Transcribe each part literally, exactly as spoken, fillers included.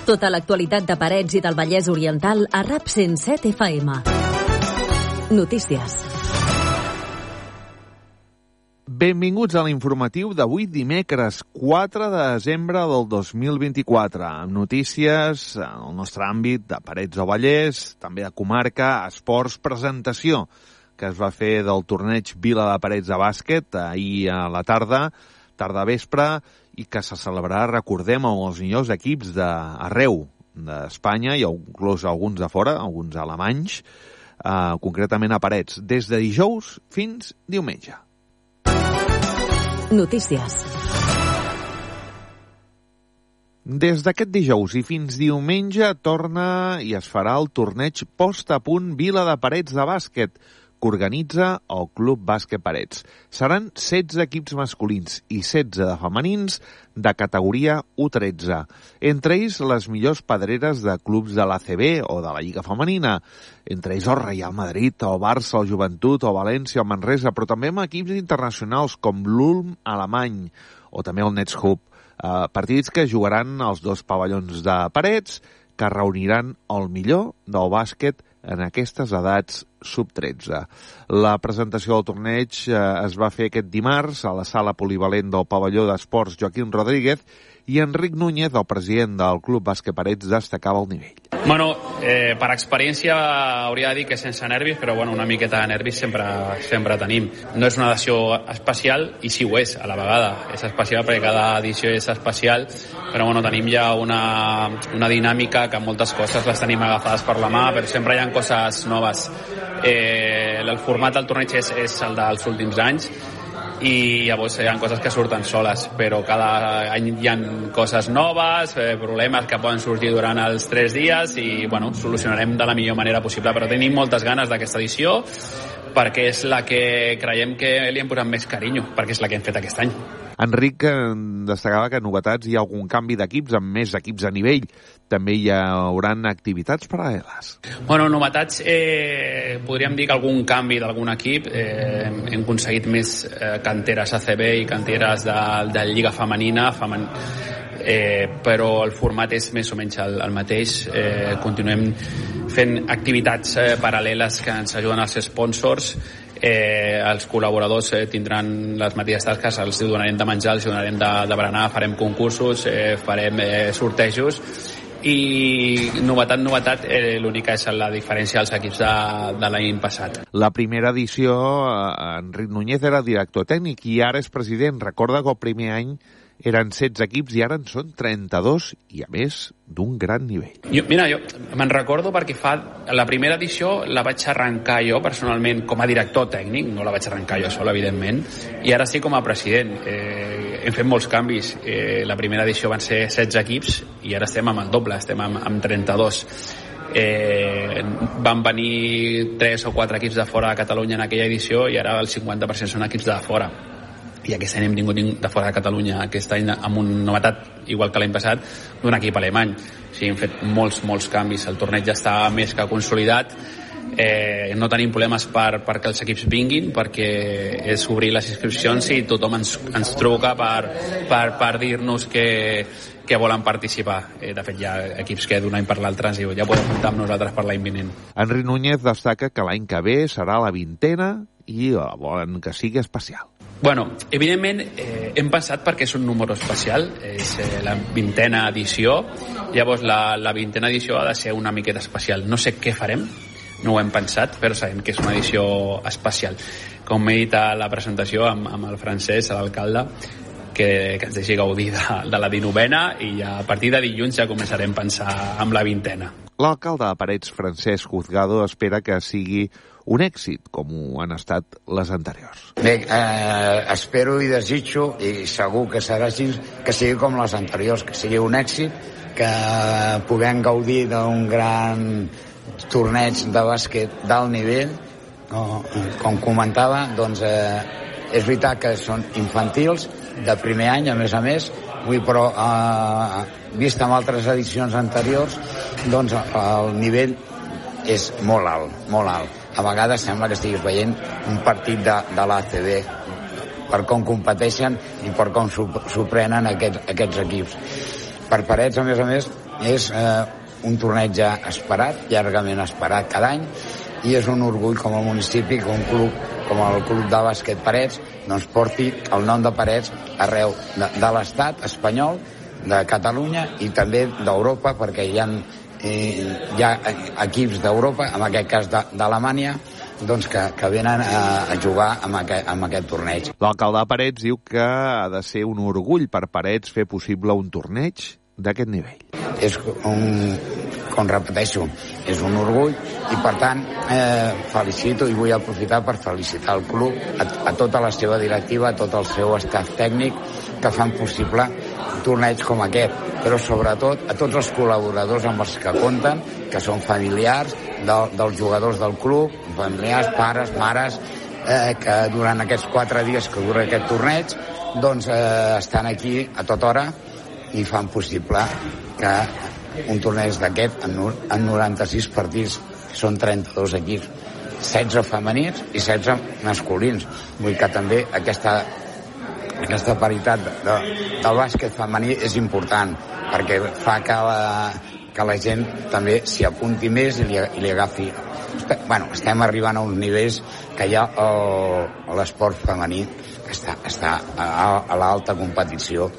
Tota l'actualitat de Parets i del Vallès Oriental a RAP cent set F M. Notícies. Benvinguts a l'informatiu d'avui dimecres quatre de desembre del dos mil vint-i-quatre, amb notícies en el nostre àmbit de Parets o Vallès, també de comarca, esports, presentació que es va fer del torneig Vila de Parets de bàsquet ahir a la tarda, tarda vespre, i que se celebrarà, recordem, amb els millors equips d'arreu d'Espanya i inclús alguns de fora, alguns alemanys, eh, concretament a Parets, des de dijous fins diumenge. Notícies. Des d'aquest dijous i fins diumenge torna i es farà el torneig Post a Punt Vila de Parets de bàsquet, que organitza el Club Bàsquet Parets. Seran setze equips masculins i setze de femenins de categoria U tretze. Entre ells, les millors pedreres de clubs de l'A C B o de la Lliga Femenina. Entre ells el Real Madrid, el Barça, el Joventut, el València, el Manresa, però també amb equips internacionals com l'Ulm alemany o també el Netshub. Eh, partits que jugaran als dos pavellons de Parets, que reuniran el millor del bàsquet en aquestes edats sub tretze. La presentació del torneig eh, es va fer aquest dimarts a la sala polivalent del pavelló d'esports Joaquín Rodríguez i Enric Núñez, el president del Club Bàsquet Parets, destacava el nivell. Bueno, eh, per experiència hauria de dir que sense nervis, però bueno, una miqueta de nervis sempre, sempre tenim. No és una edició especial, i sí ho és, a la vegada. És especial perquè cada edició és especial, però bueno, tenim ja una, una dinàmica que moltes coses les tenim agafades per la mà, però sempre hi ha coses noves. Eh, el format del torneig és, és el dels últims anys, i llavors hi ha coses que surten soles, però cada any hi ha coses noves, eh, problemes que poden sortir durant els tres dies i bueno, solucionarem de la millor manera possible, però tenim moltes ganes d'aquesta edició perquè és la que creiem que li hem posat més carinyo, perquè és la que hem fet aquest any. Enric destacava que novetats hi ha algun canvi d'equips amb més equips a nivell. També hi haurà activitats paral·leles. Bueno, novetats, eh, podríem dir que algun canvi d'algun equip. Eh, hem aconseguit més eh, canteres A C B i canteres de, de Lliga Femenina, femen... eh, però el format és més o menys el, el mateix. Eh, continuem fent activitats eh, paral·leles que ens ajuden als sponsors. Eh, els col·laboradors eh, tindran les mateixes tasques, els donarem de menjar, els donarem de, de berenar, farem concursos, eh, farem eh, sortejos i novetat, novetat, eh, l'única és la diferència dels equips de, de l'any passat. La primera edició, eh, Enric Núñez era director tècnic i ara és president. Recorda que el primer any eren setze equips i ara en són trenta-dos i, a més, d'un gran nivell. Jo, mira, jo me'n recordo perquè fa la primera edició la vaig arrencar jo personalment com a director tècnic, no la vaig arrencar jo sol, evidentment, i ara sí com a president. Eh, hem fet molts canvis. Eh, la primera edició van ser setze equips i ara estem amb el doble, estem amb, amb trenta-dos. Eh, van venir tres o quatre equips de fora de Catalunya en aquella edició i ara el cinquanta per cent són equips de fora. I aquest any hem tingut de fora de Catalunya, aquest any amb una novetat, igual que l'any passat, d'un equip alemany. O sigui, hem fet molts, molts canvis. El torneig ja està més que consolidat. Eh, no tenim problemes per, perquè els equips vinguin, perquè és obrir les inscripcions i tothom ens, ens truca per, per, per dir-nos que, que volen participar. Eh, de fet, hi ha equips que d'un any per l'altre ens diuen ja podem comptar amb nosaltres per l'any vinent. Enric Núñez destaca que l'any que ve serà la vintena i volen que sigui especial. Bueno, evidentment eh, hem pensat perquè és un número especial, és eh, la vintena edició, llavors la, la vintena edició ha de ser una miqueta especial. No sé què farem, no ho hem pensat, però sabem que és una edició especial. Com he dit a la presentació amb, amb el Francesc, l'alcalde, que, que ens deixi gaudir de, de la dinovena i ja, a partir de dilluns ja començarem a pensar amb la vintena. L'alcalde de Parets, Francesc Juzgado, espera que sigui un èxit, com ho han estat les anteriors. Bé, eh, espero i desitjo, i segur que serà així, que sigui com les anteriors, que sigui un èxit, que puguem gaudir d'un gran torneig de bàsquet d'alt nivell. No, com comentava, doncs eh, és veritat que són infantils, de primer any, a més a més, vull, però eh, vist amb altres edicions anteriors, doncs el nivell és molt alt, molt alt. A vegades sembla que estiguis veient un partit de, de l'A C B per com competeixen i per com s'ho prenen aquests, aquests equips. Per Parets, a més a més, és eh, un torneig ja esperat, llargament esperat cada any, i és un orgull com a municipi que un club com el Club de Bàsquet Parets doncs porti el nom de Parets arreu de, de l'estat espanyol, de Catalunya i també d'Europa, perquè hi ha, eh, hi ha equips d'Europa, en aquest cas d'Alemanya, doncs que, que venen a, a jugar amb aquest, amb aquest torneig. L'alcalde de Parets diu que ha de ser un orgull per Parets fer possible un torneig d'aquest nivell. És un, com repeteixo, és un orgull i per tant eh, felicito i vull aprofitar per felicitar el club, a, a tota la seva directiva, a tot el seu staff tècnic que fan possible torneigs com aquest, però sobretot a tots els col·laboradors amb els que compten, que són familiars de, dels jugadors del club, familiars, pares, mares, eh, que durant aquests quatre dies que dura aquest torneig doncs eh, estan aquí a tota hora i fan possible que un torneig d'aquest en, en noranta-sis partits, que són trenta-dos equips, setze femenins i setze masculins. Vull que també aquesta, aquesta paritat de, de, del bàsquet femení és important, perquè fa que la, que la gent també s'hi apunti més i li, i li agafi. Bueno, estem arribant a uns nivells que hi ha l'esport femení que està, està a, a l'alta competició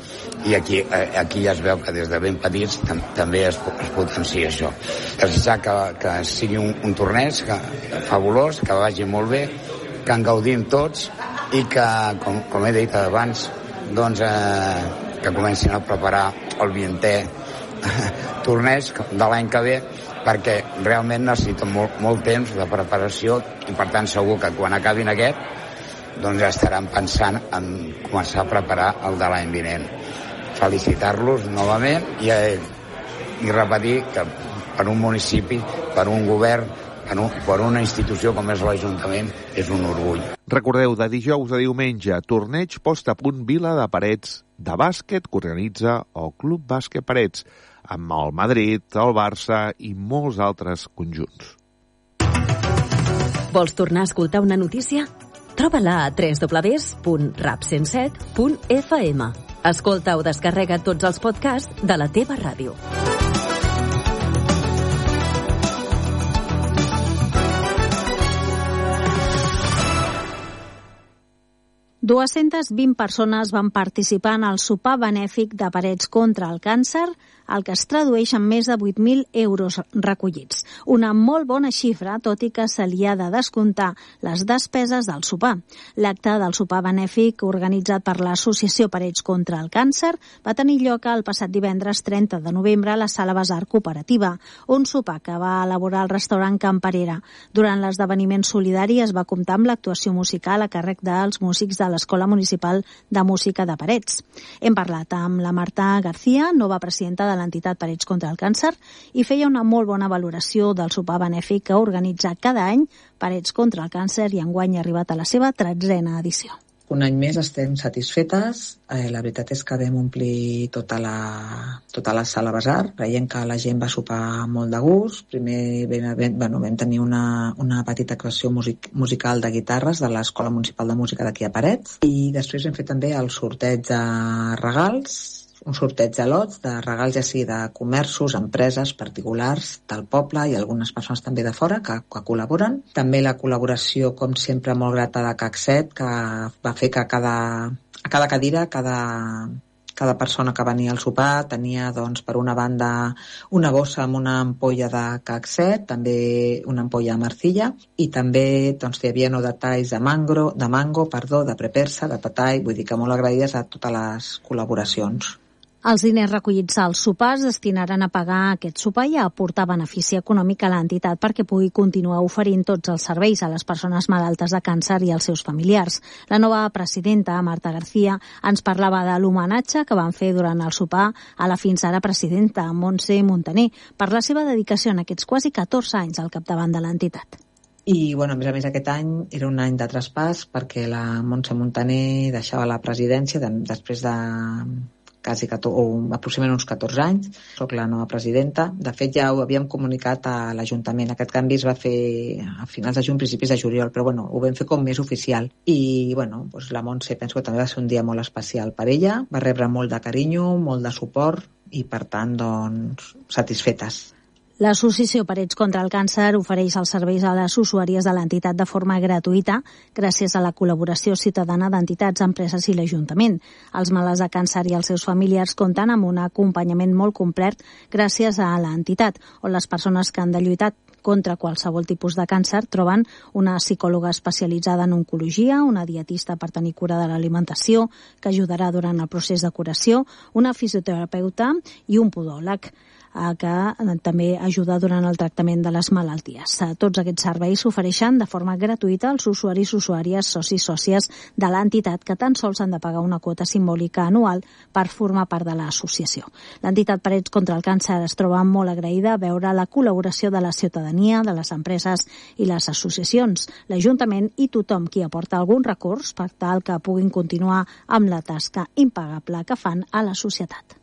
i aquí, aquí ja es veu que des de ben petits tam, també es, es potencia això. Desitjar que, que sigui un, un torneig que, fabulós, que vagi molt bé, que en gaudim tots i que, com, com he dit abans, doncs, eh, que comencin a preparar el vientè torneig de l'any que ve, perquè realment necessiten molt, molt temps de preparació i per tant segur que quan acabin aquest doncs ja estaran pensant en començar a preparar el de l'any vinent. Felicitar-los novament i, i repetir que per un municipi, per un govern, per, un, per una institució com és l'Ajuntament, és un orgull. Recordeu, de dijous a diumenge, torneig post a punt Vila de Parets de bàsquet que organitza el Club Bàsquet Parets, amb el Madrid, el Barça i molts altres conjunts. Vols tornar a escoltar una notícia? Troba-la a w w w punt rap cent set punt f m. Escolta o descarrega tots els podcasts de la teva ràdio. dues-centes vint persones van participar en el sopar benèfic de Parets contra el càncer, el que es tradueix en més de vuit mil euros recollits. Una molt bona xifra, tot i que se li ha de descomptar les despeses del sopar. L'acte del sopar benèfic organitzat per l'Associació Parets contra el càncer va tenir lloc el passat divendres trenta de novembre a la Sala Besar Cooperativa, un sopar que va elaborar el restaurant Can Parera. Durant l'esdeveniment solidari es va comptar amb l'actuació musical a càrrec dels músics de l'Escola Municipal de Música de Parets. Hem parlat amb la Marta García, nova presidenta de l'entitat Parets contra el càncer, i feia una molt bona valoració del sopar benèfic que organitza cada any Parets contra el càncer i enguany ha arribat a la seva tretzena edició. Un any més estem satisfetes. Eh, la veritat és que vam omplir tota la, tota la sala Besar, veient que la gent va sopar molt de gust. Primer vam, bueno, vam tenir una, una petita actuació music, musical de guitarres de l'Escola Municipal de Música d'aquí a Parets, i després vam fer també el sorteig de regals, un sorteig de lots de regals ja sigui de comerços, empreses, particulars del poble i algunes persones també de fora que, que col·laboren. També la col·laboració, com sempre, molt grata de C A C set, que va fer que cada, a cada cadira, cada, cada persona que venia al sopar tenia, doncs, per una banda una bossa amb una ampolla de C A C set, també una ampolla de marcilla, i també doncs, hi havia no detalls de mango, de mango, perdó, de prepersa, de patall, vull dir que molt agraïdes a totes les col·laboracions. Els diners recollits als sopars destinaran a pagar aquest sopar i a aportar benefici econòmic a l'entitat perquè pugui continuar oferint tots els serveis a les persones malaltes de càncer i als seus familiars. La nova presidenta, Marta García, ens parlava de l'homenatge que van fer durant el sopar a la fins ara presidenta, Montse Montaner, per la seva dedicació en aquests quasi catorze anys al capdavant de l'entitat. I, bueno, a més a més, aquest any era un any de traspàs perquè la Montse Montaner deixava la presidència de, després de quasi catorze, o aproximadament uns catorze anys. Soc la nova presidenta. De fet, ja ho havíem comunicat a l'Ajuntament. Aquest canvi es va fer a finals de juny, principis de juliol, però bueno, ho vam fer com més oficial. I bueno, doncs la Montse penso que també va ser un dia molt especial per ella. Va rebre molt de carinyo, molt de suport, i per tant, doncs, satisfetes. L'Associació Parets contra el Càncer ofereix els serveis a les usuàries de l'entitat de forma gratuïta gràcies a la col·laboració ciutadana d'entitats, empreses i l'Ajuntament. Els malalts de càncer i els seus familiars compten amb un acompanyament molt complet gràcies a l'entitat, on les persones que han de lluitar contra qualsevol tipus de càncer troben una psicòloga especialitzada en oncologia, una dietista per tenir cura de l'alimentació que ajudarà durant el procés de curació, una fisioterapeuta i un podòleg que també ajuda durant el tractament de les malalties. Tots aquests serveis s'ofereixen de forma gratuïta als usuaris, usuàries, socis, sòcies de l'entitat que tan sols han de pagar una quota simbòlica anual per formar part de l'associació. L'entitat Parets contra el Càncer es troba molt agraïda a veure la col·laboració de la ciutadania, de les empreses i les associacions, l'Ajuntament i tothom qui aporta algun recurs per tal que puguin continuar amb la tasca impagable que fan a la societat.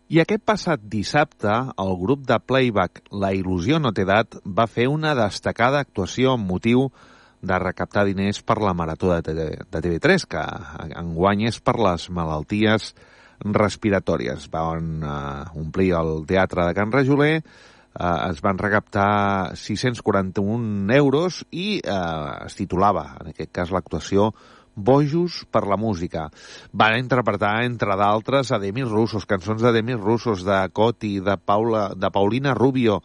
I aquest passat dissabte, el grup de playback La Il·lusió no té edat va fer una destacada actuació amb motiu de recaptar diners per la Marató de T V tres, que enguany és per les malalties respiratòries. Van uh, omplir el teatre de Can Rajoler, uh, es van recaptar sis-cents quaranta-un euros i uh, es titulava, en aquest cas, l'actuació Bojos per la música. Van interpretar, entre d'altres, a Demis Roussos, cançons de Demis Roussos, de Coti, de, Paula, de Paulina Rubio,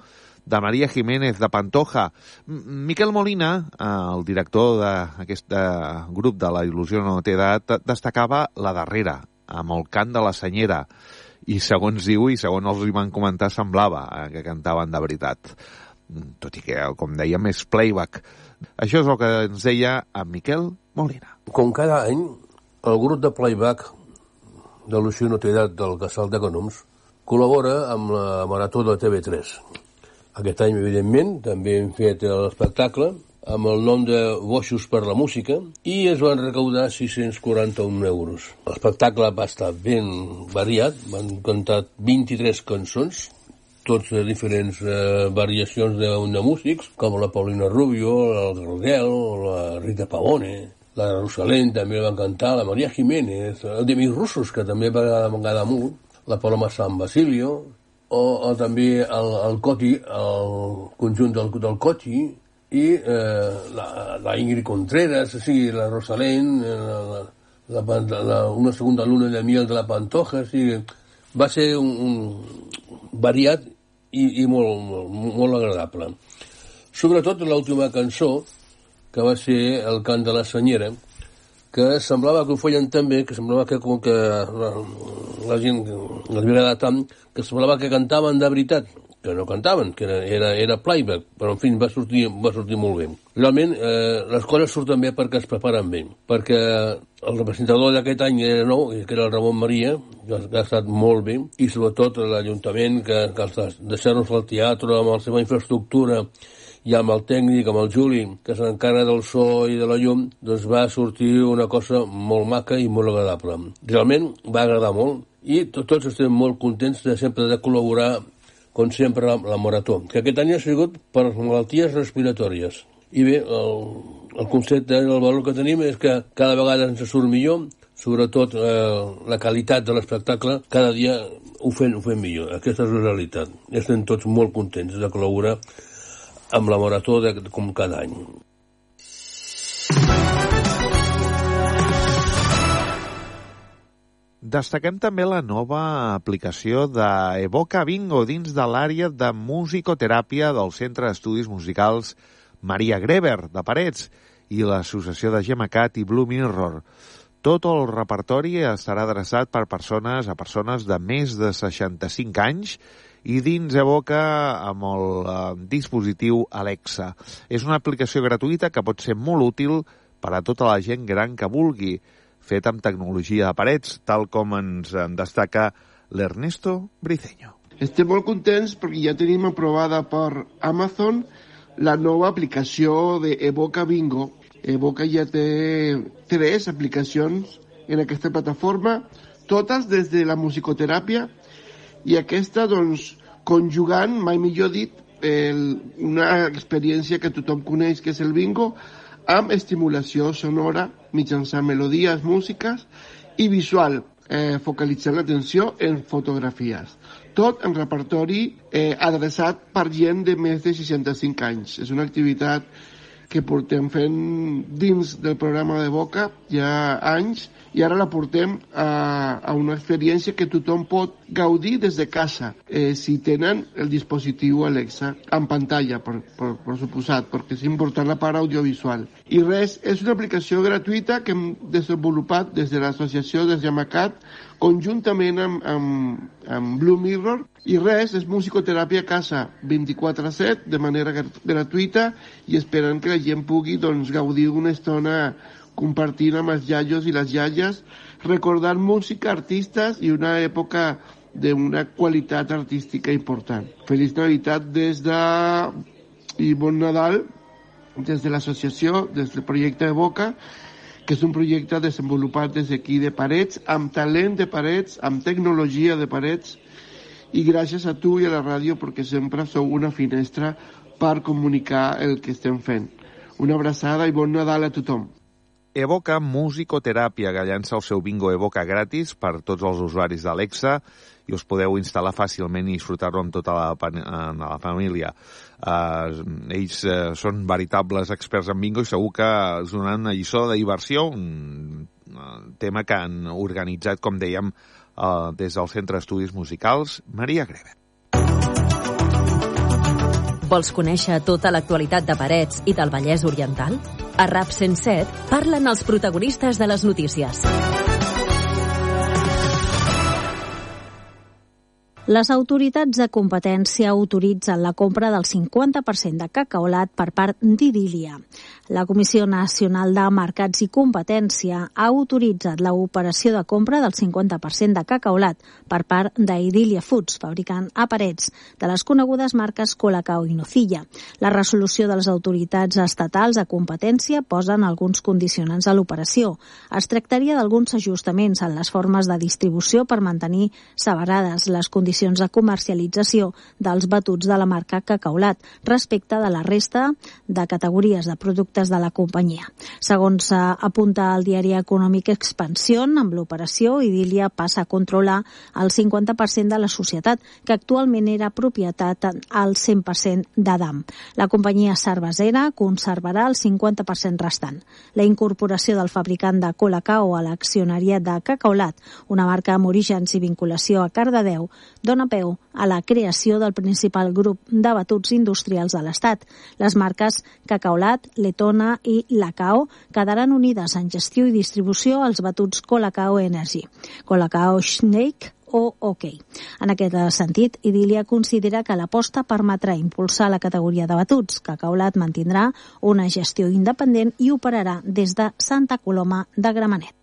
de María Jiménez, de Pantoja. Miquel Molina, el director d'aquest grup de La Il·lusió no té edat, destacava la darrera, amb el cant de la senyera. I segons diu, i segons els hi van comentar, semblava que cantaven de veritat. Tot i que, com dèiem, és playback. Això és el que ens deia en Miquel Molina. Com cada any, el grup de playback de l'Il·lusió no té edat del Casal d'Econòmics col·labora amb la Marató de T V tres. Aquest any, evidentment, també hem fet l'espectacle amb el nom de Bojos per la música i es van recaudar sis-cents quaranta-un euros. L'espectacle va estar ben variat, van cantar vint-i-tres cançons, tots de diferents eh, variacions de, de músics, com la Paulina Rubio, el Gardel, la Rita Pavone, la Rosalén també van cantar, la María Jiménez, el Demis Roussos, que també va agradar molt, la Paloma San Basilio, o, o també el, el Coti, el conjunt del, del Coti, i eh, la, la Ingrid Contreras, o sigui, la Rosalén, la, la, la, la, una segunda luna de miel de la Pantoja, o sigui, va ser un, un variat i, i molt, molt, molt agradable. Sobretot l'última cançó, que va ser el cant de la senyera, que semblava que ho feien tan bé, que semblava que com que la, la gent els havia agradat tant, que semblava que cantaven de veritat, que no cantaven, que era, era, era playback, però en fi, va sortir, va sortir molt bé. Realment, eh, les coses surten bé perquè es preparen bé, perquè el representador d'aquest any era nou, que era el Ramon Maria, que ha estat molt bé, i sobretot l'Ajuntament, que, que deixar-nos al teatre amb la seva infraestructura i amb el tècnic, amb el Juli, que s'encarrega del so i de la llum, doncs va sortir una cosa molt maca i molt agradable. Realment va agradar molt i tots estem molt contents de sempre de col·laborar, com sempre, la, la Marató, que aquest any ha sigut per malalties respiratòries. I bé, el, el concepte, el valor que tenim és que cada vegada ens surt millor, sobretot eh, la qualitat de l'espectacle, cada dia ho fem, ho fem millor. Aquesta és la realitat. Estem tots molt contents de col·laborar amb la Marató de, com cada any. Destaquem també la nova aplicació d'Evoca Bingo dins de l'àrea de musicoteràpia del Centre d'Estudis Musicals Maria Greber, de Parets, i l'associació de Gemacat i Blue Mirror. Tot el repertori estarà adreçat per persones a persones de més de seixanta-cinc anys i dins Evoca amb el eh, dispositiu Alexa. És una aplicació gratuïta que pot ser molt útil per a tota la gent gran que vulgui, fet amb tecnologia de Parets, tal com ens en destaca l'Ernesto Briceño. Estem molt contents perquè ja tenim aprovada per Amazon la nova aplicació d'Evoca Bingo. Evoca ja té tres aplicacions en aquesta plataforma, totes des de la musicoteràpia, i aquesta, doncs, conjugant, mai millor dit, el, una experiència que tothom coneix, que és el bingo, amb estimulació sonora mitjançant melodies, músiques i visual, eh, focalitzant l'atenció en fotografies. Tot en repertori eh, adreçat per gent de més de seixanta-cinc anys. És una activitat que portem fent dins del programa de Evoca ja anys, i ara la portem a, a una experiència que tothom pot gaudir des de casa, eh, si tenen el dispositiu Alexa en pantalla, per, per, per suposat, perquè és important la part audiovisual. I res, és una aplicació gratuïta que hem desenvolupat des de l'associació des Yamacat, conjuntament amb, amb, amb Blue Mirror, i res, és musicoteràpia a casa vint-i-quatre set, de manera gratuïta, i esperant que la gent pugui doncs, gaudir una estona compartint amb els iaios i les iaies, recordant música, artistes i una època d'una qualitat artística important. Feliç Navidad des de... i bon Nadal des de l'associació, des del projecte Evoca, que és un projecte desenvolupat des d'aquí de Parets, amb talent de Parets, amb tecnologia de Parets, i gràcies a tu i a la ràdio perquè sempre sou una finestra per comunicar el que estem fent. Una abraçada i bon Nadal a tothom. Evoca Musicoteràpia, que llança el seu bingo Evoca gratis per tots els usuaris d'Alexa i us podeu instal·lar fàcilment i disfrutar-lo amb tota la, amb la família. Uh, ells uh, són veritables experts en bingo i segur que us donaran una lliçó de diversió, un uh, tema que han organitzat, com dèiem, uh, des del Centre d'Estudis Musicals Maria Greve. Vols conèixer tota l'actualitat de Parets i del Vallès Oriental? A RAP cent set parlen els protagonistes de les notícies. Les autoritats de competència autoritzen la compra del cinquanta per cent de cacaolat per part d'Idília. La Comissió Nacional de Mercats i Competència ha autoritzat l'operació de compra del cinquanta per cent de cacaolat per part d'Idília Foods, fabricant a Parets de les conegudes marques Colacao i Nocilla. La resolució de les autoritats estatals de competència posen alguns condicionants a l'operació. Es tractaria d'alguns ajustaments en les formes de distribució per mantenir separades les condicions de comercialització dels batuts de la marca Cacaolat respecte de la resta de categories de productes de la companyia. Segons apunta el diari econòmic Expansión, amb l'operació Idília passa a controlar el cinquanta per cent de la societat, que actualment era propietat al cent per cent d'Adam. La companyia cervesera conservarà el cinquanta per cent restant. La incorporació del fabricant de Colacao a l'accionariat de Cacaolat, una marca amb orígens i vinculació a Cardedeu, dona peu a la creació del principal grup de batuts industrials de l'Estat. Les marques Cacaolat, Letona i Lacao quedaran unides en gestió i distribució als batuts Colacao Energy, Colacao Snake o OK. En aquest sentit, Idília considera que l'aposta permetrà impulsar la categoria de batuts. Cacaolat mantindrà una gestió independent i operarà des de Santa Coloma de Gramenet.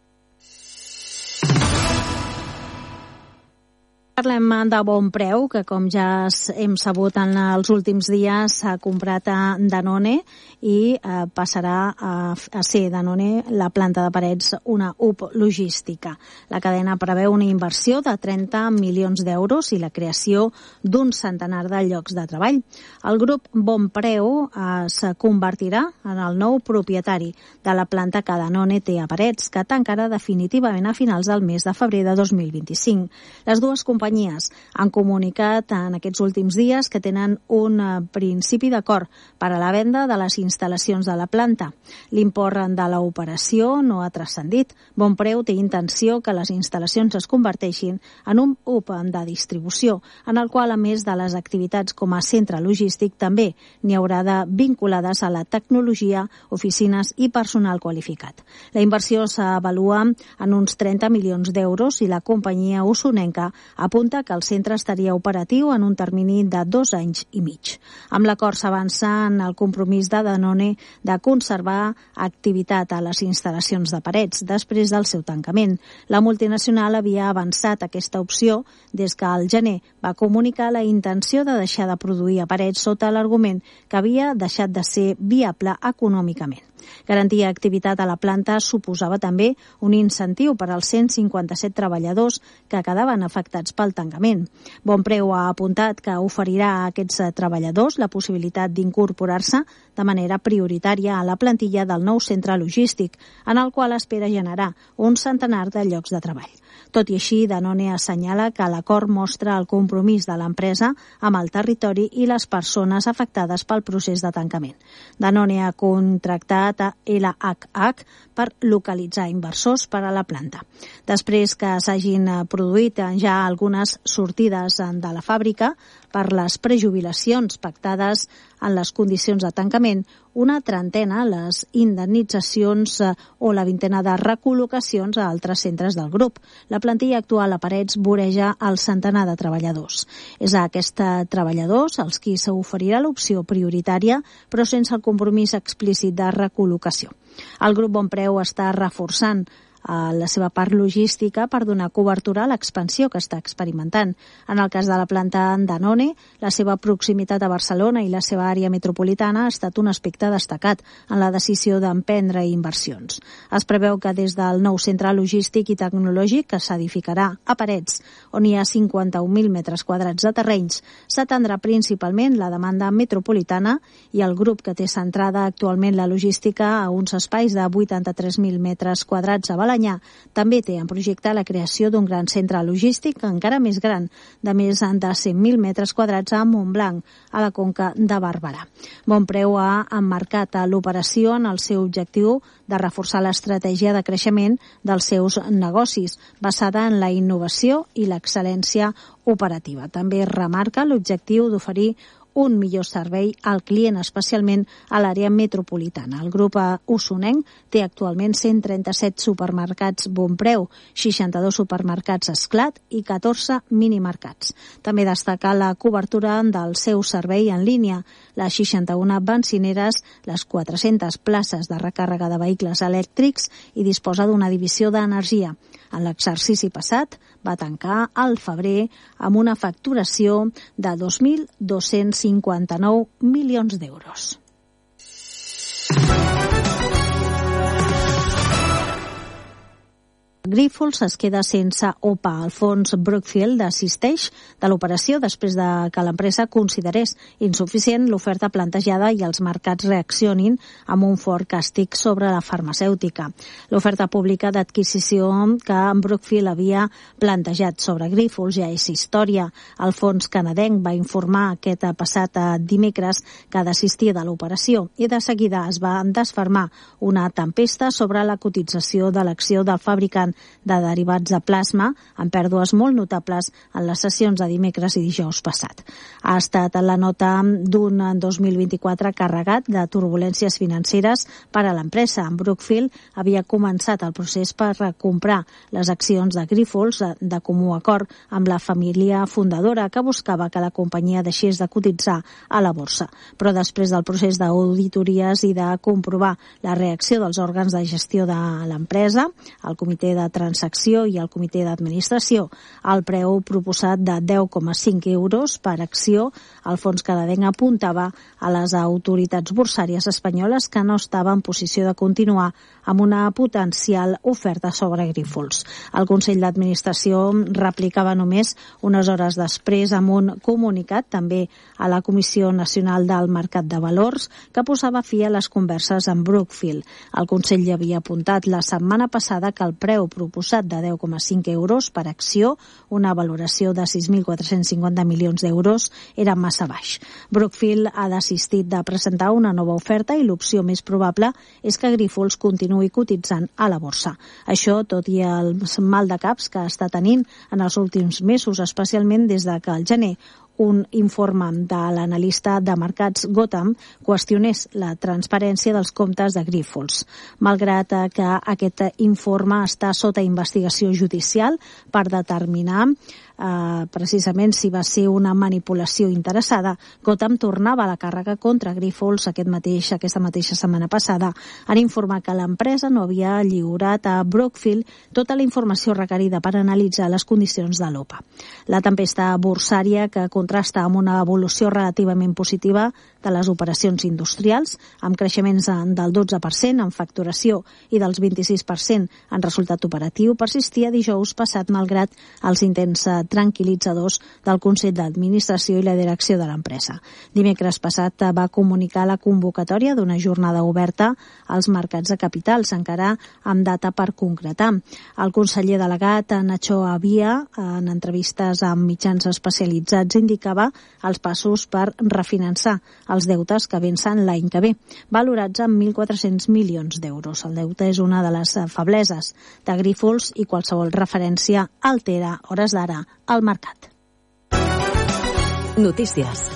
Parlem de Bon Preu, que com ja hem sabut en els últims dies s'ha comprat a Danone i eh, passarà a, a ser Danone la planta de Parets una hub logística. La cadena preveu una inversió de trenta milions d'euros i la creació d'un centenar de llocs de treball. El grup Bon Preu eh, es convertirà en el nou propietari de la planta que Danone té a Parets, que tancarà definitivament a finals del mes de febrer de dos mil vint-i-cinc. Les dues companyies han comunicat en aquests últims dies que tenen un principi d'acord per a la venda de les instal·lacions de la planta. L'import de l'operació no ha transcendit. Bon Preu té intenció que les instal·lacions es converteixin en un hub de distribució, en el qual, a més de les activitats com a centre logístic, també n'hi haurà de vinculades a la tecnologia, oficines i personal qualificat. La inversió s'avalua en uns trenta milions d'euros i la companyia usonenca apunta que el centre estaria operatiu en un termini de dos anys i mig. Amb l'acord s'avança en el compromís de Danone de conservar activitat a les instal·lacions de Parets després del seu tancament. La multinacional havia avançat aquesta opció des que al gener va comunicar la intenció de deixar de produir a Parets sota l'argument que havia deixat de ser viable econòmicament. Garantir activitat a la planta suposava també un incentiu per als cent cinquanta-set treballadors que quedaven afectats pel del tancament. Bonpreu ha apuntat que oferirà a aquests treballadors la possibilitat d'incorporar-se de manera prioritària a la plantilla del nou centre logístic, en el qual espera generar un centenar de llocs de treball. Tot i així, Danone assenyala que l'acord mostra el compromís de l'empresa amb el territori i les persones afectades pel procés de tancament. Danone ha contractat a L H H per localitzar inversors per a la planta. Després que s'hagin produït ja algunes sortides de la fàbrica per les prejubilacions pactades en les condicions de tancament, una trentena les indemnitzacions o la vintena de recol·locacions a altres centres del grup. La plantilla actual a Parets voreja el centenar de treballadors. És a aquests treballadors als qui s'oferirà l'opció prioritària, però sense el compromís explícit de recol·locació. El grup Bonpreu està reforçant a la seva part logística per donar cobertura a l'expansió que està experimentant. En el cas de la planta Danone, la seva proximitat a Barcelona i la seva àrea metropolitana ha estat un aspecte destacat en la decisió d'emprendre inversions. Es preveu que des del nou centre logístic i tecnològic que s'edificarà a Parets, on hi ha cinquanta-un mil metres quadrats de terrenys, s'atendrà principalment la demanda metropolitana i el grup que té centrada actualment la logística a uns espais de vuitanta-tres mil metres quadrats a Balanyà també té en projecte la creació d'un gran centre logístic encara més gran, de més de cent mil metres quadrats a Montblanc, a la conca de Barberà. Bonpreu ha emmarcat l'operació en el seu objectiu de reforçar l'estratègia de creixement dels seus negocis, basada en la innovació i l'excel·lència operativa. També remarca l'objectiu d'oferir un millor servei al client, especialment a l'àrea metropolitana. El grup usonenc té actualment cent trenta-set supermercats Bonpreu, seixanta-dos supermercats Esclat i catorze minimercats. També destaca la cobertura del seu servei en línia, les seixanta-una benzineres, les quatre-centes places de recàrrega de vehicles elèctrics i disposa d'una divisió d'energia. En l'exercici passat va tancar al febrer amb una facturació de dos mil dos-cents cinquanta-nou milions d'euros. Grífols es queda sense O P A. El fons Brookfield desisteix de l'operació després de que l'empresa considerés insuficient l'oferta plantejada i els mercats reaccionin amb un fort càstig sobre la farmacèutica. L'oferta pública d'adquisició que Brookfield havia plantejat sobre Grífols ja és història. El fons canadenc va informar aquest passat dimecres que desistia de l'operació i de seguida es va desfermar una tempesta sobre la cotització de l'acció del fabricant de derivats de plasma, amb pèrdues molt notables en les sessions de dimecres i dijous passat. Ha estat la nota d'un dos mil vint-i-quatre carregat de turbulències financeres per a l'empresa. Brookfield havia començat el procés per comprar les accions de Grífols de comú acord amb la família fundadora que buscava que la companyia deixés de cotitzar a la borsa. Però després del procés d'auditories i de comprovar la reacció dels òrgans de gestió de l'empresa, el comitè de transacció i el comitè d'administració, el preu proposat de deu coma cinc euros per acció, el fons canadenc apuntava a les autoritats borsàries espanyoles que no estava en posició de continuar amb una potencial oferta sobre Grífols. El Consell d'Administració replicava només unes hores després amb un comunicat també a la Comissió Nacional del Mercat de Valors que posava fi a les converses amb Brookfield. El Consell ja havia apuntat la setmana passada que el preu proposat de deu coma cinc euros per acció, una valoració de sis mil quatre-cents cinquanta milions d'euros, era massa baix. Brookfield ha desistit de presentar una nova oferta i l'opció més probable és que Grífols continuï cotitzant a la borsa. Això, tot i el mal de caps que està tenint en els últims mesos, especialment des de que al gener un informe de l'analista de mercats Gotham qüestionés la transparència dels comptes de Grífols. Malgrat que aquest informe està sota investigació judicial per determinar Uh, precisament si va ser una manipulació interessada, Gotham tornava a la càrrega contra Grífols aquest mateix, aquesta mateixa setmana passada en informar que l'empresa no havia lliurat a Brookfield tota la informació requerida per analitzar les condicions de l'O P A. La tempesta borsària que contrasta amb una evolució relativament positiva de les operacions industrials, amb creixements del dotze per cent en facturació i del vint-i-sis per cent en resultat operatiu, persistia dijous passat malgrat els intents tranquil·litzadors del Consell d'Administració i la direcció de l'empresa. Dimecres passat va comunicar la convocatòria d'una jornada oberta als mercats de capitals, encara amb data per concretar. El conseller delegat Nacho Abia, en entrevistes amb mitjans especialitzats, indicava els passos per refinançar els deutes que vencen l'any que ve, valorats en mil quatre-cents milions d'euros. El deute és una de les febleses de Grífols i qualsevol referència altera, hores d'ara, al mercat. Notícies.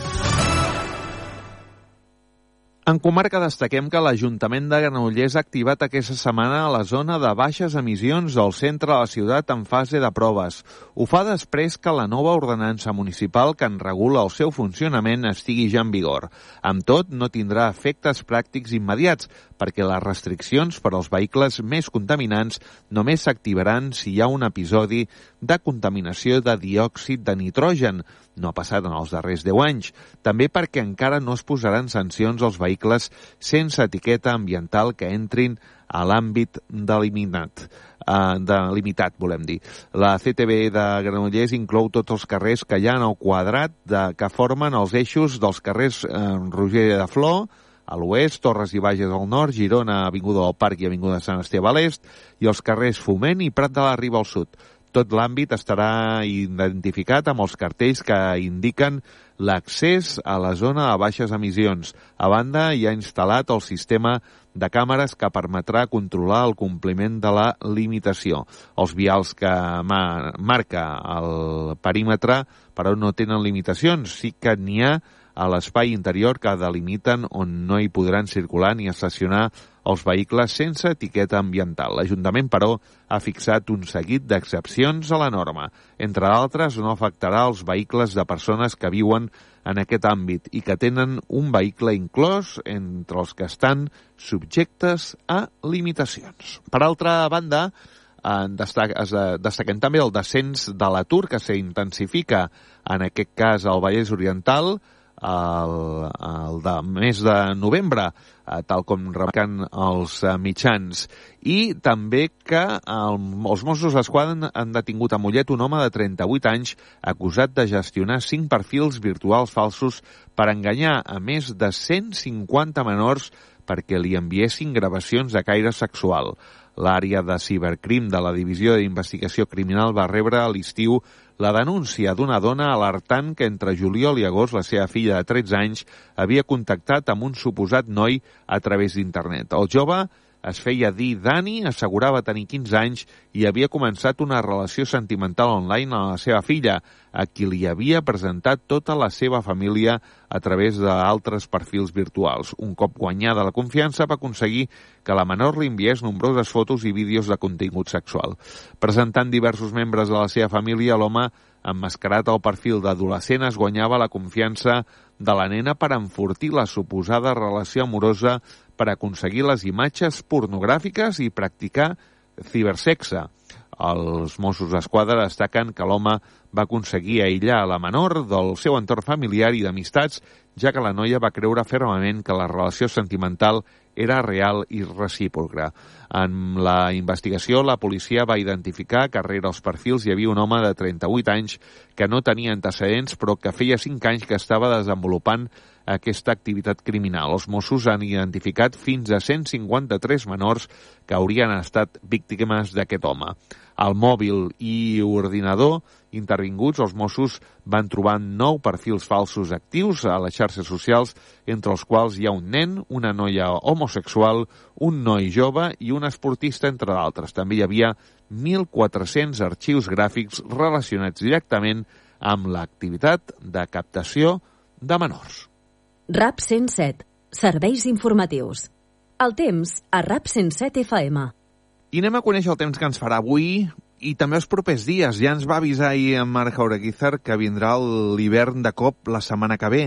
En comarca destaquem que l'Ajuntament de Granollers ha activat aquesta setmana la zona de baixes emissions del centre de la ciutat en fase de proves. Ho fa després que la nova ordenança municipal que en regula el seu funcionament estigui ja en vigor. Amb tot, no tindrà efectes pràctics immediats, perquè les restriccions per als vehicles més contaminants només s'activaran si hi ha un episodi de contaminació de diòxid de nitrogen. No ha passat en els darrers deu anys. També perquè encara no es posaran sancions als vehicles sense etiqueta ambiental que entrin a l'àmbit delimitat. Uh, delimitat, volem dir. La C T B de Granollers inclou tots els carrers que hi ha en el quadrat de, que formen els eixos dels carrers uh, Roger de Flor, a l'oest, Torres i Bages al nord, Girona, Avinguda del Parc i Avinguda Sant Esteve a l'est, i els carrers Foment i Prat de la Riba al sud. Tot l'àmbit estarà identificat amb els cartells que indiquen l'accés a la zona de baixes emissions. A banda, hi ha instal·lat el sistema de càmeres que permetrà controlar el compliment de la limitació. Els vials que marca el perímetre, però no tenen limitacions, sí que n'hi ha a l'espai interior que delimiten on no hi podran circular ni estacionar els vehicles sense etiqueta ambiental. L'Ajuntament, però, ha fixat un seguit d'excepcions a la norma. Entre d'altres, no afectarà els vehicles de persones que viuen en aquest àmbit i que tenen un vehicle inclòs entre els que estan subjectes a limitacions. Per altra banda, destaquem també el descens de l'atur que s'intensifica, en aquest cas al Vallès Oriental, el, el de mes de novembre, tal com remarquen els mitjans. I també que el, els Mossos d'Esquadra han detingut a Mollet un home de trenta-vuit anys acusat de gestionar cinc perfils virtuals falsos per enganyar a més de cent cinquanta menors perquè li enviessin gravacions de caire sexual. L'àrea de cibercrim de la Divisió d'Investigació Criminal va rebre a l'estiu la denúncia d'una dona alertant que entre juliol i agost la seva filla de tretze anys havia contactat amb un suposat noi a través d'internet. El jove es feia dir Dani, assegurava tenir quinze anys i havia començat una relació sentimental online amb la seva filla, a qui li havia presentat tota la seva família a través d'altres perfils virtuals. Un cop guanyada la confiança, va aconseguir que la menor li enviés nombroses fotos i vídeos de contingut sexual. Presentant diversos membres de la seva família, l'home, emmascarat al perfil d'adolescent, es guanyava la confiança de la nena per enfortir la suposada relació amorosa, per aconseguir les imatges pornogràfiques i practicar cibersexe. Els Mossos d'Esquadra destaquen que l'home va aconseguir aïllar la menor del seu entorn familiar i d'amistats, ja que la noia va creure fermament que la relació sentimental era real i recíproca. En la investigació, la policia va identificar que rere els perfils hi havia un home de trenta-vuit anys que no tenia antecedents, però que feia cinc anys que estava desenvolupant aquesta activitat criminal. Els Mossos han identificat fins a cent cinquanta-tres menors que haurien estat víctimes d'aquest home. Al mòbil i ordinador intervinguts, els Mossos van trobar nou perfils falsos actius a les xarxes socials, entre els quals hi ha un nen, una noia homosexual, un noi jove i un esportista, entre d'altres. També hi havia mil quatre-cents arxius gràfics relacionats directament amb l'activitat de captació de menors. RAP cent set. Serveis informatius. El temps a RAP cent set F M. I anem a conèixer el temps que ens farà avui i també els propers dies. Ja ens va avisar ahir en Marc Jaureguizar que vindrà l'hivern de cop la setmana que ve.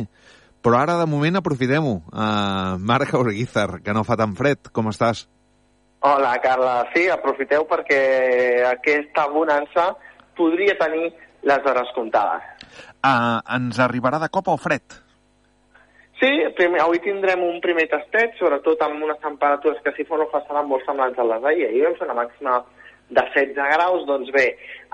Però ara, de moment, aprofitem-ho. Uh, Marc Jaureguizar, que no fa tan fred. Com estàs? Hola, Carla. Sí, aprofiteu perquè aquesta bonança podria tenir les hores comptades. Uh, ens arribarà de cop el fred? Sí, primer, avui tindrem un primer tastet, sobretot amb unes temperatures que si fos no passaran molt semblants a les d'ahir. Ahir vam fer una màxima de setze graus, doncs bé,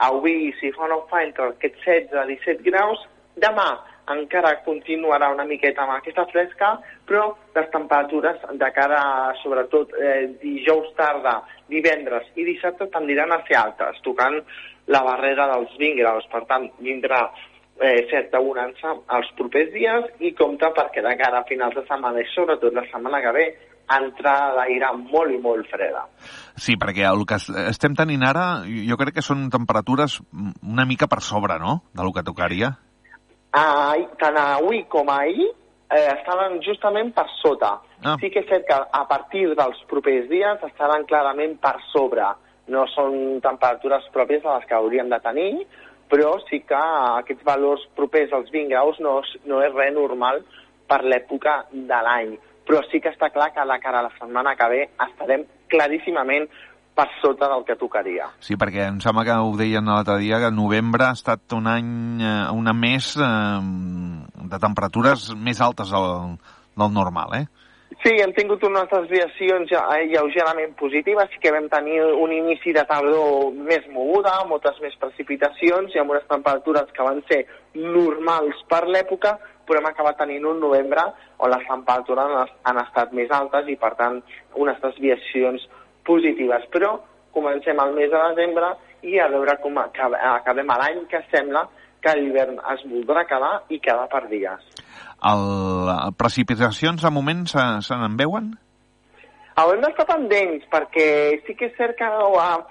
avui si fa no fa entre aquests setze a disset graus, demà encara continuarà una miqueta amb aquesta fresca, però les temperatures de cara a, sobretot, eh, dijous tarda, divendres i dissabte tendiran a ser altes, tocant la barrera dels vint graus. Per tant, vindrà eh, certa bonança els propers dies i compta perquè de cara a finals de setmana i sobretot la setmana que ve entrada d'aire molt i molt freda. Sí, perquè el que estem tenint ara, jo crec que són temperatures una mica per sobre, no?, del que tocaria. Ah, tant avui com ahir eh, estaven justament per sota. Ah. Sí que és cert que a partir dels propers dies estaran clarament per sobre. No són temperatures pròpies a les que hauríem de tenir, però sí que aquests valors propers als vint graus no, no és res normal per l'època de l'any. Però sí que està clar que a la cara a la setmana que ve estarem claríssimament per sota del que tocaria. Sí, perquè em sembla que ho deien l'altre dia, que novembre ha estat un any, una mes eh, de temperatures més altes del, del normal, eh? Sí, hem tingut unes desviacions lleugerament positives, sí que vam tenir un inici de tardor més moguda, moltes més precipitacions i amb unes temperatures que van ser normals per l'època, però hem acabat tenint un novembre on les temperatures han estat més altes i, per tant, unes desviacions positives. Però comencem el mes de desembre i a veure com acabem l'any, que sembla que l'hivern es voldrà quedar i quedar per dies. El, precipitacions, a moment, se, se n'en veuen? Haurem d'estar pendents, perquè sí que és cert que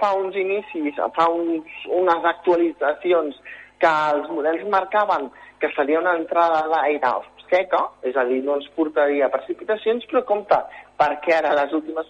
fa uns inicis, fa uns, unes actualitzacions que els models marcaven que seria una entrada d'aire seca, és a dir, no ens portaria precipitacions, però compte, perquè ara les últimes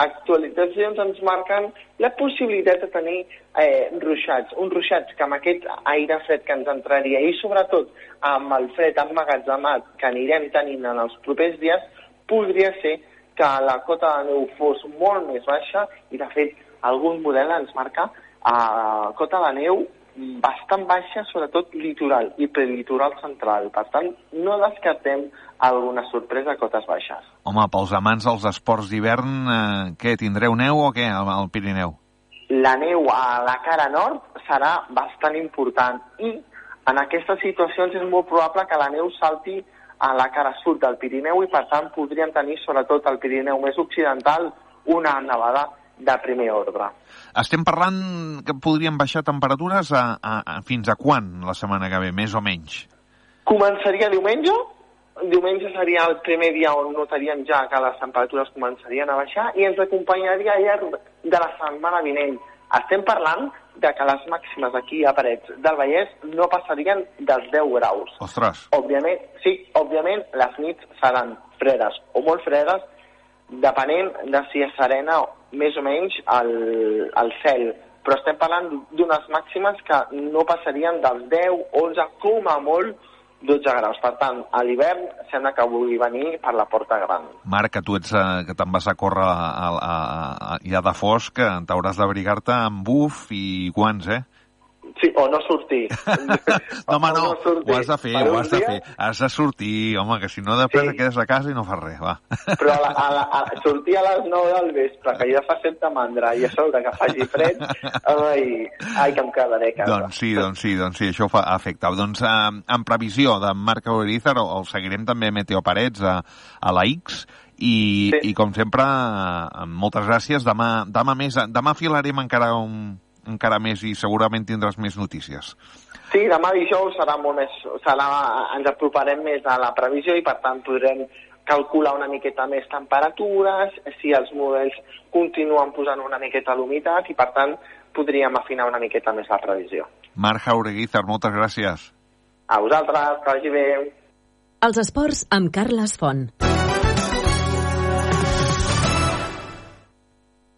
actualitzacions ens marquen la possibilitat de tenir eh, ruixats, uns ruixats que amb aquest aire fred que ens entraria i sobretot amb el fred emmagatzemat que anirem tenint en els propers dies, podria ser que la cota de neu fos molt més baixa i de fet algun model ens marca eh, cota de neu bastant baixa, sobretot litoral i prelitoral central. Per tant, no descartem alguna sorpresa a cotes baixes. Home, pels amants dels esports d'hivern, eh, què, tindreu neu o què al Pirineu? La neu a la cara nord serà bastant important i en aquestes situacions és molt probable que la neu salti a la cara sud del Pirineu i per tant podríem tenir sobretot al Pirineu més occidental una nevada de primer ordre. Estem parlant que podrien baixar temperatures a, a, a fins a quan la setmana que ve, més o menys? Començaria diumenge. Diumenge seria el primer dia on notaríem ja que les temperatures començarien a baixar i ens acompanyaria al llarg de la setmana vinent. Estem parlant de que les màximes aquí a Parets del Vallès no passarien dels deu graus. Ostres! Òbviament, sí, òbviament les nits seran fredes o molt fredes, depenent de si és serena més o menys al, al cel. Però estem parlant d'unes màximes que no passarien dels deu, onze, com a molt, dotze graus. Per tant, a l'hivern sembla que vulgui venir per la porta gran. Marc, que tu ets, eh, que te'n vas a córrer a, a, a, ja de fosc, t'hauràs d'abrigar-te amb buf i guants, eh? Sí, o no sortir. No, home, no, no ho has de fer, ho has de fer. Has de sortir, home, que si no després sí. quedes a casa i no fas res, va. Però a la, a la, a, sortir a les nou del vespre, que ja fa certa mandra, i a sobre que faci fred, ai, ai que em quedaré a casa. Doncs sí, doncs sí, doncs sí, això fa efecte. Doncs eh, en previsió de Marc Aureguízar, el seguirem també a Meteo Parets, a, a la X, i, sí. i com sempre, eh, moltes gràcies. Demà, demà, més, demà filarem encara un... encara més i segurament tindràs més notícies. Sí, demà dijous serà molt més, serà, ens aproparem més a la previsió i per tant podrem calcular una miqueta més temperatures, si els models continuen posant una miqueta l'humitat i per tant podríem afinar una miqueta més la previsió. Marc Aureguízar, moltes gràcies. A vosaltres, que vagi bé. Els esports amb Carles Font.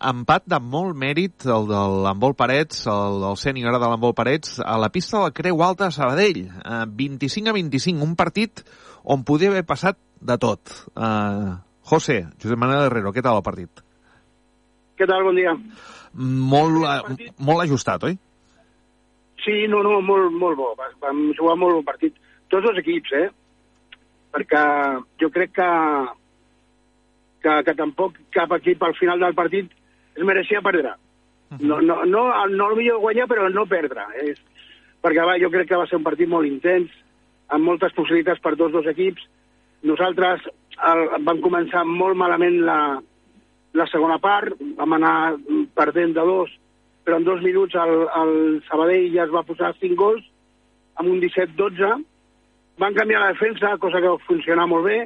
Empat de molt mèrit, el de l'handbol Parets, el del sènior de l'handbol Parets, a la pista del Creu Alta a Sabadell. vint-i-cinc a vint-i-cinc, un partit on podia haver passat de tot. Uh, José, Josep Manuel Herrero, què tal el partit? Què tal, bon dia. Molt, uh, molt ajustat, oi? Sí, no, no, molt, molt bo. Vam jugar molt bon partit. Tots els equips, eh? Perquè jo crec que, que, que tampoc cap equip al final del partit es mereixia perdre. No, no, no, no el millor guanyar, però no perdre. És, perquè va, jo crec que va ser un partit molt intens, amb moltes possibilitats per tots dos equips. Nosaltres el, vam començar molt malament la, la segona part, vam anar perdent de dos, però en dos minuts el, el Sabadell ja es va posar cinc gols, amb un disset dotze. Van canviar la defensa, cosa que va funcionar molt bé,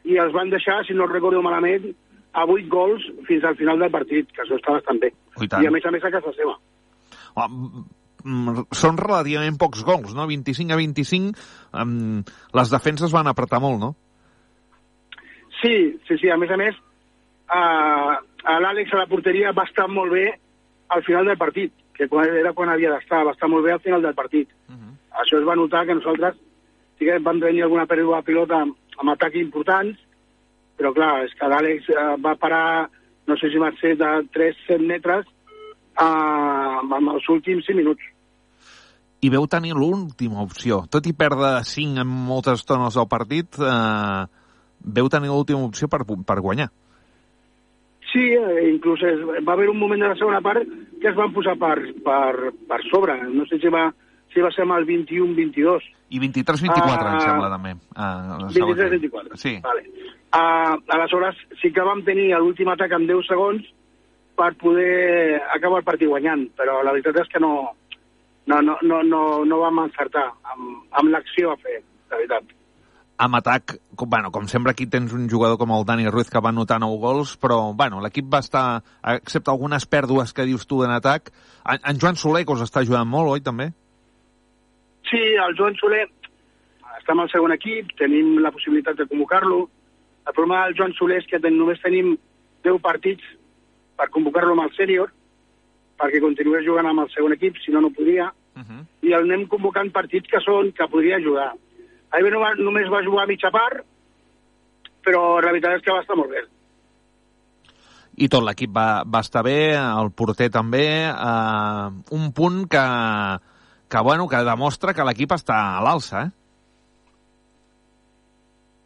i els van deixar, si no recordo malament, a vuit gols fins al final del partit, que això està bastant bé. I, I a més a més a casa seva. Oh, són relativament pocs gols, no? vint-i-cinc a vint-i-cinc, um, les defenses van apretar molt, no? Sí, sí, sí. A més a més, uh, l'Àlex a la porteria va estar molt bé al final del partit, que era quan havia d'estar, va estar molt bé al final del partit. Uh-huh. Això es va notar que nosaltres sí que vam tenir alguna pèrdua de pilota amb, amb atacs importants, però clar, és que l'Àlex uh, va parar, no sé si va ser de tres a set metres uh, en els últims cinc minuts. I veu tenir l'última opció. Tot i perdre cinc en moltes estones del partit, uh, veu tenir l'última opció per, per guanyar. Sí, eh, inclús es, va haver un moment de la segona part que es van posar per, per, per sobre. No sé si va, si va ser amb el vint-i-u vint-i-dos. I vint-i-tres vint-i-quatre, uh, em sembla, també. Uh, vint-i-tres vint-i-quatre, sí. Vale. Uh, aleshores, sí que vam tenir l'últim atac en deu segons per poder acabar el partit guanyant, però la veritat és que no, no, no, no, no, no vam encertar amb, amb l'acció a fer, la veritat. Amb atac, com, bueno, com sempre aquí tens un jugador com el Dani Ruiz que va anotar nou gols, però bueno, l'equip va estar, excepte algunes pèrdues que dius tu en atac, en, en Joan Soler, que us està ajudant molt, oi, també? Sí, el Joan Soler està amb el segon equip, tenim la possibilitat de convocar-lo. El problema del Joan Soler és que ten, només tenim deu partits per convocar-lo amb el sènior, perquè continués jugant amb el segon equip, si no, no podria, uh-huh. I el anem convocant partits que són que podria ajudar. Ahir no va, només va jugar a mitja part, però la veritat és que va estar molt bé. I tot l'equip va, va estar bé, el porter també, eh, un punt que, que, bueno, que demostra que l'equip està a l'alça, eh?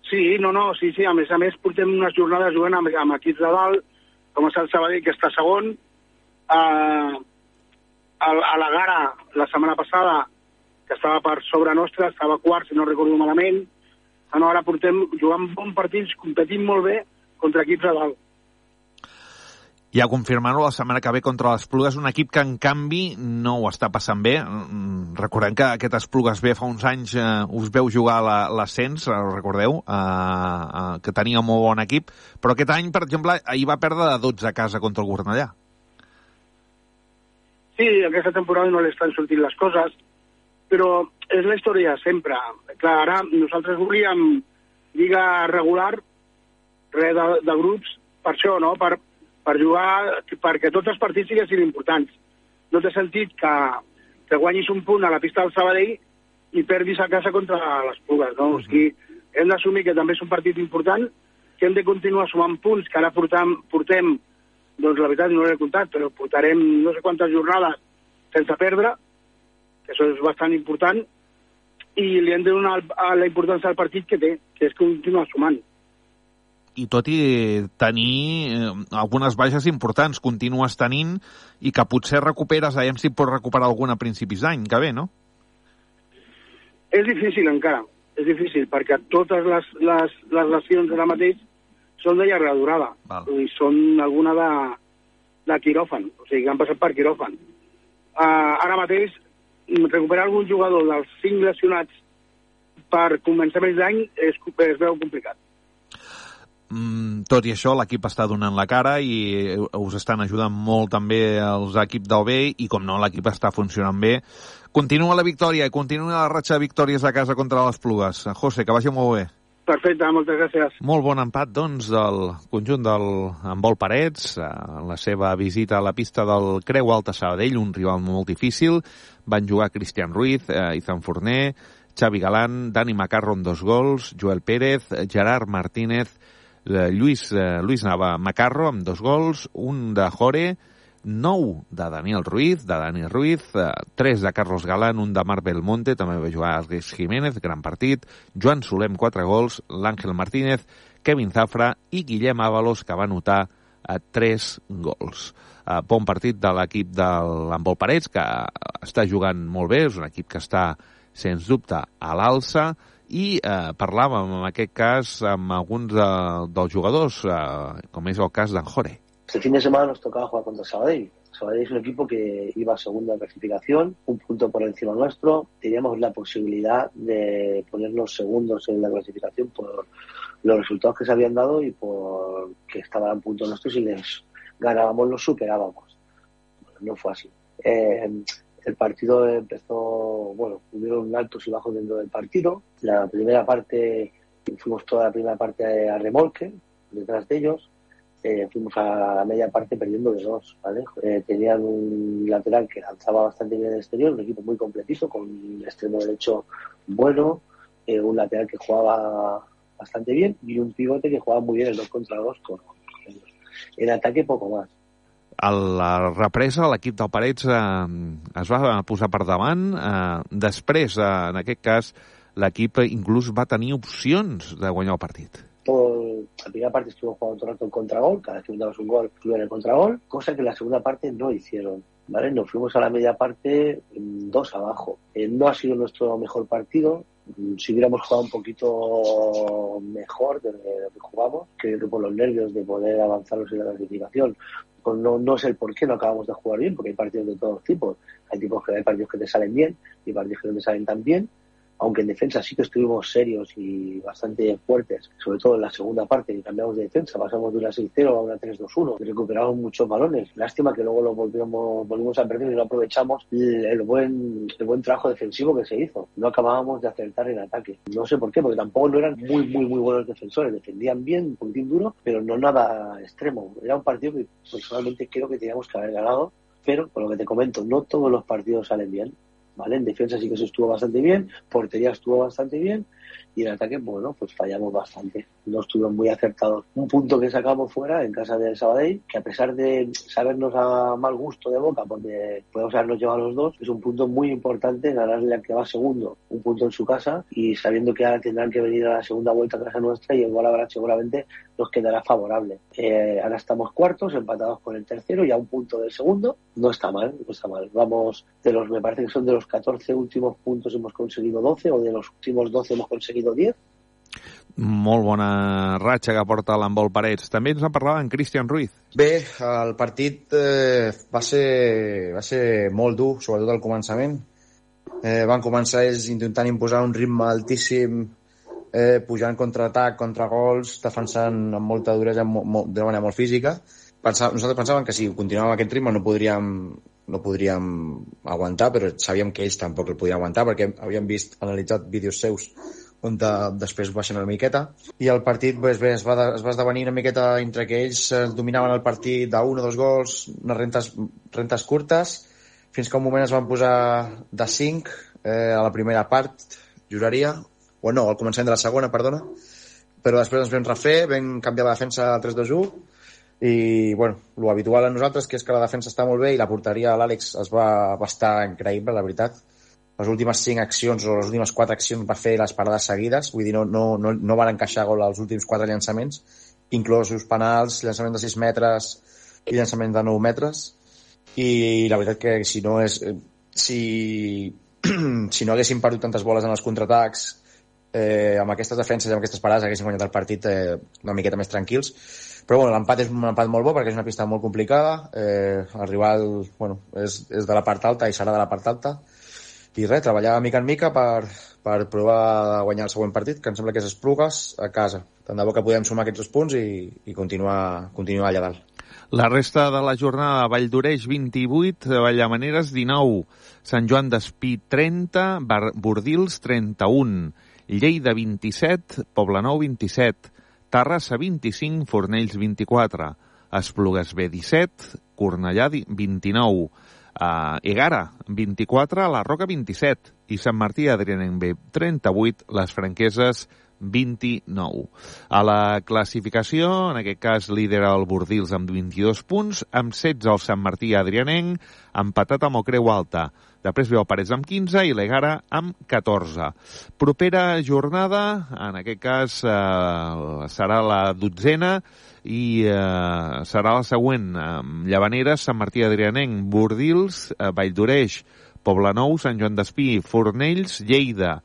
Sí, no, no, sí, sí, a més a més portem unes jornades jugant amb, amb equips de dalt, com és el Sabadell, que està segon, eh, a, a la Gara, la setmana passada, que estava per sobre nostra, estava quart, si no recordo malament. No, ara portem jugant bons partits, competint molt bé contra equips a dalt. Ja confirmant-ho, la setmana que ve contra l'Esplugues, un equip que en canvi no ho està passant bé. Recordem que aquest Esplugues B fa uns anys eh, us veu jugar l'ascens, recordeu, eh, eh, que tenia un molt bon equip, però aquest any, per exemple, ahir va perdre de dotze a casa contra el Cornellà. Sí, aquesta temporada no li estan sortint les coses, però és la història sempre. Clar, ara nosaltres volíem lliga regular, res de, de grups, per això, no?, per, per jugar, perquè tots els partits siguessin importants. No té sentit que, que guanyis un punt a la pista del Sabadell i perdis a casa contra les Pugues, no? Uh-huh. O sigui, hem d'assumir que també és un partit important, que hem de continuar sumant punts, que ara portam, portem, doncs la veritat no l'he comptat, però portarem no sé quantes jornades sense perdre, que això és bastant important, i li hem de donar la importància al partit que té, que és continuar sumant. I tot i tenir eh, algunes baixes importants, continues tenint, i que potser recuperes, veiem si pots recuperar alguna a principis d'any, que ve, no? És difícil encara, és difícil, perquè totes les, les, les lesions ara mateix són de llarga durada, i són alguna de, de quiròfan, o sigui, que han passat per quiròfan. Uh, ara mateix, recuperar algun jugador dels cinc lesionats per començaments d'any es, es veu complicat. Mm, tot i això, l'equip està donant la cara i us estan ajudant molt també els equips del B, i com no, l'equip està funcionant bé. Continua la victòria i continua la ratxa de victòries a casa contra les Plugues. José, que vagi molt bé. Perfecte, moltes gràcies. Molt bon empat, doncs, del conjunt del Handbol Parets, en la seva visita a la pista del Creu Alta Sabadell, un rival molt difícil. Van jugar Cristian Ruiz, eh, Izan Forner, Xavi Galán, Dani Macarro amb dos gols, Joel Pérez, Gerard Martínez, eh, Lluís, eh, Lluís Nava Macarro amb dos gols, un de Jore, nou de Daniel Ruiz, de Dani Ruiz, tres de Carlos Galán, un de Marc Belmonte, també va jugar Alex Jiménez, gran partit, Joan Solem, quatre gols, l'Àngel Martínez, Kevin Zafra i Guillem Ábalos, que va anotar tres gols. Bon partit de l'equip de l'Handbol Parets, que està jugant molt bé, és un equip que està, sens dubte, a l'alça, i eh, parlàvem, en aquest cas, amb alguns de, dels jugadors, eh, com és el cas d'en Jore. Este fin de semana nos tocaba jugar contra Sabadell. Sabadell es un equipo que iba segundo en clasificación, un punto por encima nuestro. Teníamos la posibilidad de ponernos segundos en la clasificación por los resultados que se habían dado y por que estaban a punto nuestros. Si les ganábamos, los superábamos. Bueno, no fue así. Eh, el partido empezó, bueno, hubieron altos y bajos dentro del partido. La primera parte, fuimos toda la primera parte a remolque, detrás de ellos. Eh, fuimos a la media parte perdiendo de dos, ¿vale? Eh, tenían un lateral que lanzaba bastante bien en el exterior, un equipo muy completito, con un extremo derecho bueno, eh, un lateral que jugaba bastante bien y un pivote que jugaba muy bien el dos contra dos con, con ellos. En ataque poco más. A la represa, l'equip del Parets eh, es va posar per davant. Eh, després, eh, en aquest cas, l'equip inclús va tenir opcions de guanyar el partit. Todo, la primera parte estuvo jugando todo el rato en contragol, cada vez que dábamos un gol estuvieron en el contragol, cosa que la segunda parte no hicieron, ¿vale? Nos fuimos a la media parte dos abajo. Eh, no ha sido nuestro mejor partido. Si hubiéramos jugado un poquito mejor de lo que jugamos, creo que por los nervios de poder avanzarnos en la clasificación, pues no, no sé el por qué no acabamos de jugar bien, porque hay partidos de todos tipos. Hay tipos que hay partidos que te salen bien y partidos que no te salen tan bien. Aunque en defensa sí que estuvimos serios y bastante fuertes, sobre todo en la segunda parte, que cambiamos de defensa, pasamos de una seis cero a una tres dos uno, recuperamos muchos balones. Lástima que luego lo volvimos, volvimos a perder y no aprovechamos el, el, buen, el buen trabajo defensivo que se hizo. No acabábamos de acertar en ataque. No sé por qué, porque tampoco no eran muy, muy, muy buenos defensores. Defendían bien, un poquitín duro, pero no nada extremo. Era un partido que personalmente creo que teníamos que haber ganado, pero por lo que te comento, no todos los partidos salen bien. ¿Vale? En defensa sí que se estuvo bastante bien, portería estuvo bastante bien y en ataque, bueno, pues fallamos bastante. No estuvieron muy acertados. Un punto que sacamos fuera en casa del Sabadell, que a pesar de sabernos a mal gusto de boca, porque podemos habernos llevado los dos, es un punto muy importante ganarle al que va segundo, un punto en su casa y sabiendo que ahora tendrán que venir a la segunda vuelta a casa nuestra y el gol habrá seguramente nos quedará favorable. Eh, ahora estamos cuartos, empatados con el tercero y a un punto del segundo. No está mal, no está mal. Vamos, de los, me parece que son de los catorce últimos puntos hemos conseguido doce o de los últimos doce hemos conseguido diez. Molt bona ratxa que porta l'Handbol Parets. També ens en parlava en Cristian Ruiz. Bé, el partit eh, va, ser, va ser molt dur, sobretot al començament. Eh, van començar ells intentant imposar un ritme altíssim, eh, pujant contraatac, contragols, defensant amb molta duresa, de manera molt física. Pensà, nosaltres pensàvem que si continuàvem aquest ritme no podríem, no podríem aguantar, però sabíem que ells tampoc el podien aguantar perquè havíem vist, analitzat vídeos seus on de, després baixen una miqueta i el partit pues, bé, es, va de, es va esdevenir una miqueta entre que ells dominaven el partit d'un o dos gols, unes rentes, rentes curtes, fins que un moment es van posar de cinc eh, a la primera part, juraria, o no, al començament de la segona, perdona, però després ens vam refer, vam canviar la defensa a tres dos u i, bueno, lo habitual a nosaltres, que és que la defensa està molt bé i la porteria a l'Àlex es va, va estar increïble, la veritat. Les últimes cinc accions o les últimes quatre accions va fer les parades seguides, vull dir, no, no, no, no van encaixar gol als últims quatre llançaments, inclosos penals, llançament de sis metres i llançament de nou metres, i la veritat que si no és si, si no haguéssim perdut tantes boles en els contraatacs, eh, amb aquestes defenses i amb aquestes parades haguéssim guanyat el partit eh, una miqueta més tranquils. Però bueno, l'empat és un empat molt bo perquè és una pista molt complicada, eh, el rival bueno, és, és de la part alta i serà de la part alta, i res, treballar mica en mica per, per provar de guanyar el següent partit, que em sembla que és Esplugues, a casa. Tant de bo que podem sumar aquests dos punts i, i continuar, continuar allà dalt. La resta de la jornada: Valldoreix vint-i-vuit, Vallamaneres dinou, Sant Joan d'Espí trenta, Bordils trenta-un, Lleida vint-i-set, Poblenou vint-i-set, Terrassa vint-i-cinc, Fornells vint-i-quatre, Esplugues B disset, Cornellà vint-i-nou, Uh, Egara vint-i-quatre, La Roca vint-i-set i Sant Martí Adrianenc B trenta-vuit, Les Franqueses vint-i-nou. A la classificació, en aquest cas lidera el Bordils amb vint-i-dos punts, amb setze el Sant Martí Adrianenc, empatat amb el Creu Alta. Després ve el Parets amb quinze i l'Egara amb catorze. Propera jornada, en aquest cas eh, serà la dotzena i eh, serà la següent. Llavaneres, Sant Martí Adrianenc, Bordils, eh, Valldoreix, Poblenou, Sant Joan d'Espí, Fornells, Lleida,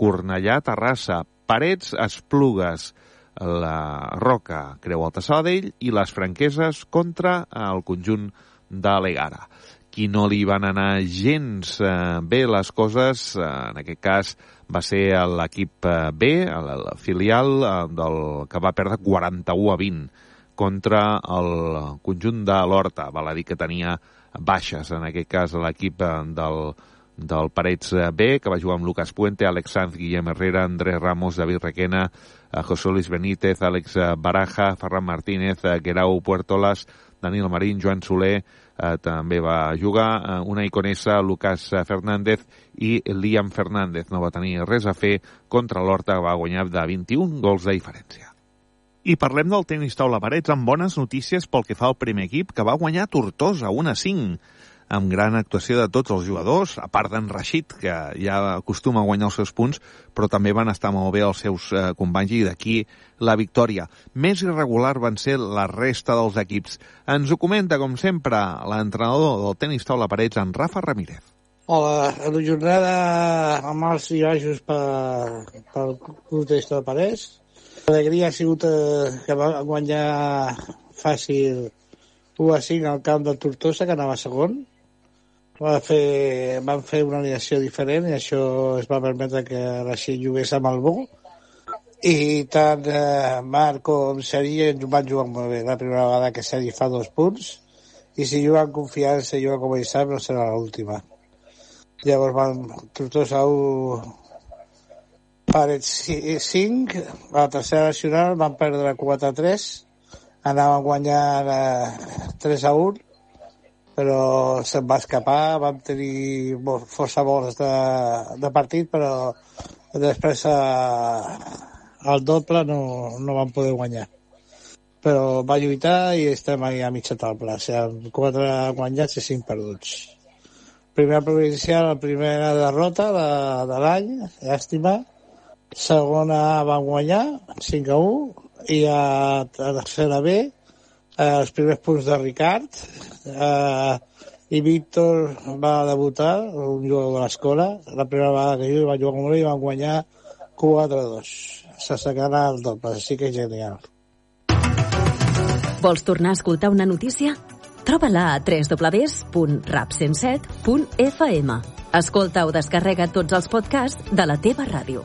Cornellà, Terrassa, Parets, Esplugues, la Roca, Creu Alta, Sabadell i les Franqueses contra el conjunt de l'Egara. Qui no li van anar gens eh, bé les coses, eh, en aquest cas va ser l'equip eh, B, el, el filial eh, del, que va perdre quaranta-u a vint contra el conjunt de l'Horta. Val a dir que tenia baixes, en aquest cas l'equip eh, del, del Parets B, que va jugar amb Lucas Puente, Alex Sanz, Guillem Herrera, Andrés Ramos, David Requena, eh, José Luis Benítez, Àlex Baraja, Ferran Martínez, eh, Guerau Puertolas, Daniel Marín, Joan Soler, eh, també va jugar, eh, una iconessa, Lucas Fernández i Liam Fernández. No va tenir res a fer contra l'Horta, que va guanyar de vint-i-un gols de diferència. I parlem del tenis taula Parets amb bones notícies pel que fa al primer equip, que va guanyar Tortosa un a cinc, amb gran actuació de tots els jugadors, a part d'en Rashid, que ja acostuma a guanyar els seus punts, però també van estar molt bé els seus eh, companys i d'aquí la victòria. Més irregular van ser la resta dels equips. Ens ho comenta, com sempre, l'entrenador del tenis taula Parets, en Rafa Ramírez. Hola, la jornada amb els i baixos per, pel club tenis taula Parets. L'alegria ha sigut eh, que va guanyar fàcil u a cinc al camp del Tortosa, que anava segon. Va fer, van fer una alineació diferent i això es va permetre que Rashid jugués amb el Bo. I tant eh, Marc com Seri van jugar molt bé. La primera vegada que Seri fa dos punts i si juga amb confiança i juga com ell sap, no serà l'última. Llavors van Tortosa u, Parets cinc, a la tercera nacional van perdre quatre a tres, anaven guanyant eh, tres a un, però se'n va escapar, vam tenir força gols de, de partit, però després eh, al doble no, no vam poder guanyar. Però va lluitar i estem ahí a mitja taula, o sigui, amb quatre guanyats i cinc perduts. Primera provincial, la primera derrota de, de l'any, llàstima. Segona van guanyar, cinc a u, i a tercera B, eh, els primers punts de Ricard, eh, i Víctor va debutar, un jugador de l'escola, la primera vegada que jo va jugar amb ell i van guanyar quatre a dos. S'assecarà el doble, així que és genial. Vols tornar a escoltar una notícia? Troba-la a w w w punt rap cent set punt f m. Escolta o descarrega tots els podcasts de la teva ràdio.